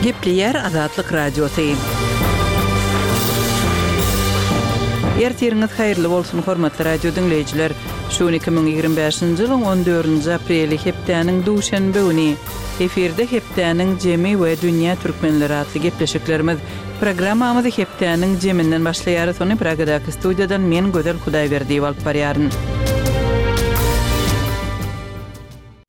Gepleýär Azatlyk Radiosy. Ertiriňiz haýyrly bolsun, hormatly radio diňleýjiler! Şu gün 2025-nji ýylyň on dördünji apreli, hepdäniň duşenbe güni. Efirde Hepdäniň jemi we Dünýä türkmenleri atly gepleşiklerimiz. Programmamyzy hepdäniň jeminden başlaýarys, ony Pragadaky studiýadan men Gözel Hudaýberdiýewa alyp barýaryn.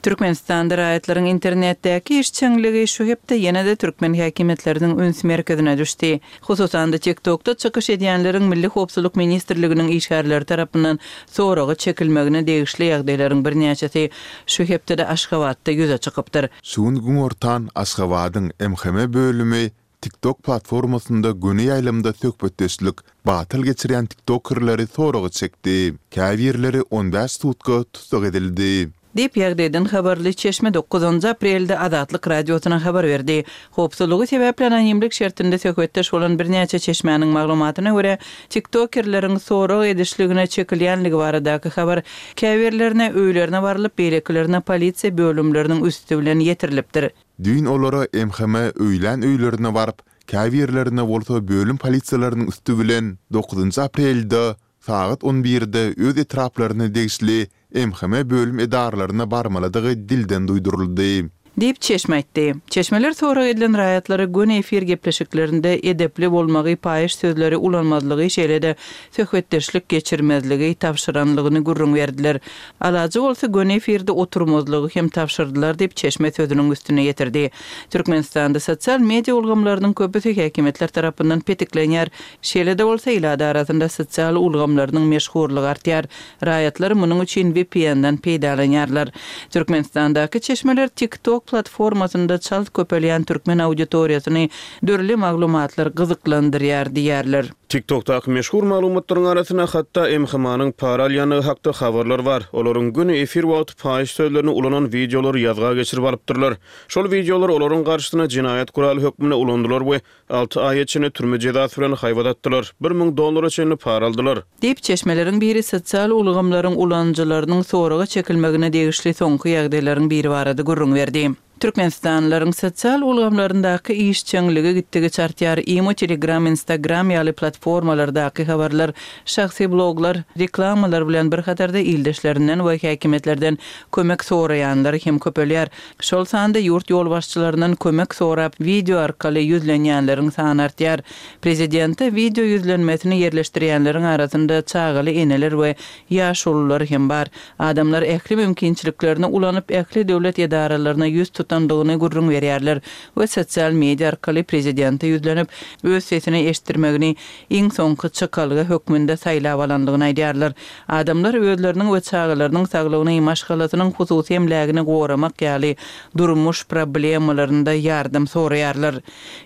Türkmenistanda raýatlaryň internetdäki işjeňligi şu hepde ýene-de türkmen häkimiýetleriniň üns merkezine düşdi. Hususan-da, TikTokda çykyş edýänleriň Milli howpsuzlyk ministrliginiň işgärleri tarapyndan soraga çekilmegine degişli ýagdaýlaryň birnäçesi şu hepdede Aşgabatda ýüze çykypdyr. Şu gün günortan Aşgabadyň MHM bölümi TikTok platformasynda göni ýaýlymda söhbetdeşlik batyl geçirýän tiktokerleri soraga çekdi. Käbirleri on bäş sutka tussag edildi. Diýip, ýagdaýdan habarly çeşme dokuzynjy aprelde Azatlyk Radiosyna habar berdi. Howpsuzlygy sebäpli anonimlik şertinde söhbetdeş bolan birnäçe çeşmäniň maglumatyna görä, tiktokerleriň sorag edişligine çekilýänligi baradaky habar käbirlerine öýlerine barylyp, beýlekilerine polisiýa bölümleriniň üsti bilen ýetirilipdir. Düýn olara MHM öýlän öýlerine baryp, käbirlerine bolsa bölüm polisiýalarynyň üsti bilen dokuzynjy aprelde sagat on birde öz etraplaryna degişli MHM bölüm edaralaryna barmalydygy dilden duýduryldy. Diýip, çeşme aýtdy. Çeşmeler sorag edilen raýatlara göni efir gepleşiklerinde edepli bolmagy, paýyş sözleri ulanmazlygy, şeýle-de söhbetdeşlik geçirmezligi tabşyranlygyny gürrüň berdiler. Alajy bolsa göni efirde oturmazlygy hem tabşyrdylar diýip, çeşme sözüniň üstüni ýetirdi. Türkmenistanda sosial media ulgamlarynyň köpüsi häkimiýetler tarapyndan petiklenýär. Şeýle-de bolsa, ilat arasynda sosial ulgamlarynyň meşhurlygy artýar. Raýatlar munuň üçin VPN-den peýdalanýarlar. Türkmenistandaky çeşmeler TikTok platformasynda çalt köpelýän türkmen auditoriýasyny dürli maglumatlar gyzyklandyrýar diýýärler. TikTok-daky meşhur maglumatlaryň arasynda hatda MHM-nyň para alýandygy hakda habarlar bar. Olaryň göni efir wagty paýyş sözlerini ulanan wideolary ýazga geçirip alypdyrlar. Şol wideolar olaryň garşysyna jenaýat guraly hökmünde ulanylar we Alty aýa çenli türme jezasy bilen haýbat atdylar, 1000 dollara çenli para aldylar. Diýip, çeşmeleriň biri sosial ulgamlaryň ulanyjylarynyň soraga çekilmegine degişli soňky ýagdaýlaryň biri barada gürrüň berdi. Türkmenistanlylaryň sosial ulgamlaryndaky işjeňligi gitdigiçe artýar, Imo, Telegram, Instagram ýaly platformalardaky habarlar, şahsy bloglar, reklamalar bilen bir hatarda ildeşlerinden we häkimiýetlerden kömek soraýanlar hem köpelýär. Şol sanda ýurt ýolbaşçylaryndan kömek sorap wideo arkaly ýüzlenýänleriň sany artýar. Prezidente wideo ýüzlenmesini ýerleşdirýänleriň arasynda çagaly eneler we ýaşulular hem bar. Adamlar ähli mümkinçiliklerini ulanyp ähli döwlet edaralaryna ýüz tutandygyny gürrüň berýärler we sosial media arkaly prezidente ýüzlenip öz sesini eşitdirmegini iň soňky çykalga hökmünde saýlap alandygyny aýdýarlar. Adamlar özleriniň we çagalarynyň saglygyny, maşgalasynyň hususy emlägini goramak ýaly durmuş problemalarynda ýardam soraýarlar.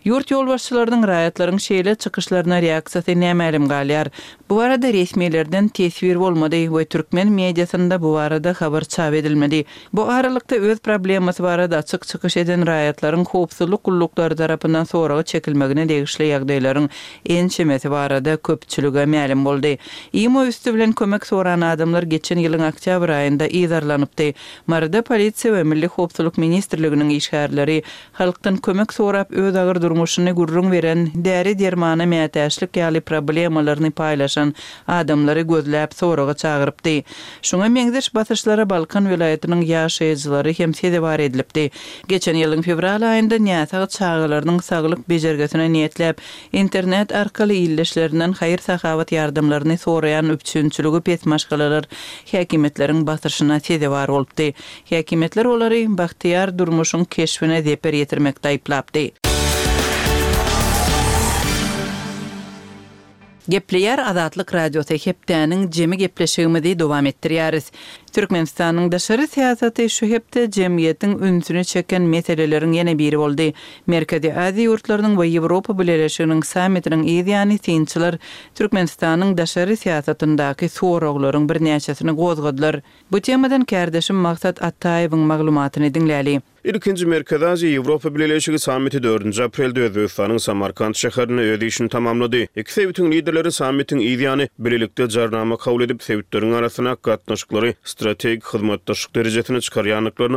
Ýurt ýolbaşçylarynyň raýatlaryň şeýle çykyşlaryna reaksiýasy nämälim galýar. Bu barada resmilerden teswir bolmady we türkmen mediasynda bu barada habar çap edilmedi. Bu aralykda, öz problemasy barada açyk çykyş eden raýatlaryň howpsuzlyk gulluklary tarapyndan soraga çekilmegine degişli ýagdaýlaryň ençemesi barada köpçülige mälim boldy. Imo üsti bilen kömek soran adamlar geçen ýylyň oktýabr aýynda yzarlanypdy. Maryda polisiýa we Milli howpsuzlyk ministrliginiň işgärleri halkdan kömek sorap öz agyr durmuşyny gürrüň beren, däri-dermana mätäçlik ýaly problemalaryny paýlaşan adamlary gözläp soraga çagyrypdy. Şuňa meňzeş basyşlara Balkan welaýatynyň ýaşaýjylary hem sezewar edilipdi. Geçen ýylyň fewral aýynda näsag çagalarynyň saglyk bejergisine niýetläp, internet arkaly ildeşlerinden haýyr-sahawat ýardamlaryny soraýan üpjünçiligi pes maşgalalar häkimiýetleriň basyşyna sezewar bolupdy. Häkimiýetler olary bagtyýar durmuşyň keşbine zeper ýetirmekde aýyplapdy. Gepleýär Azatlyk Radiosy Hepdäniň jemi gepleşigimizi dowam etdirýäris. Türkmenistanyň daşary syýasaty şu hepde jemgyýetiň ünsüni çeken meseleleriň ýene biri boldy. Merkezi Aziýa ýurtlarynyň we Ýewropa Bileleşiginiň sammitiniň yz ýany synçylar Türkmenistanyň daşary syýasatyndaky soraglaryň birnäçesini gozgadylar. Bu temadan kärdeşim Maksat Ataýewiň maglumatyny diňläli. Ilkinji Merkezi Aziýa-Ýewropa Bileleşigi sammiti dördünji aprelde Özbegistanyň Samarkant şäherinde öz işini tamamlady. Iki sebitiň liderleri sammitiň yz ýany bilelikde jarnama kabul edip, sebitleriň arasyndaky gatnaşyklary strategik hyzmatdaşlyk derejesine çykarýandyklaryny.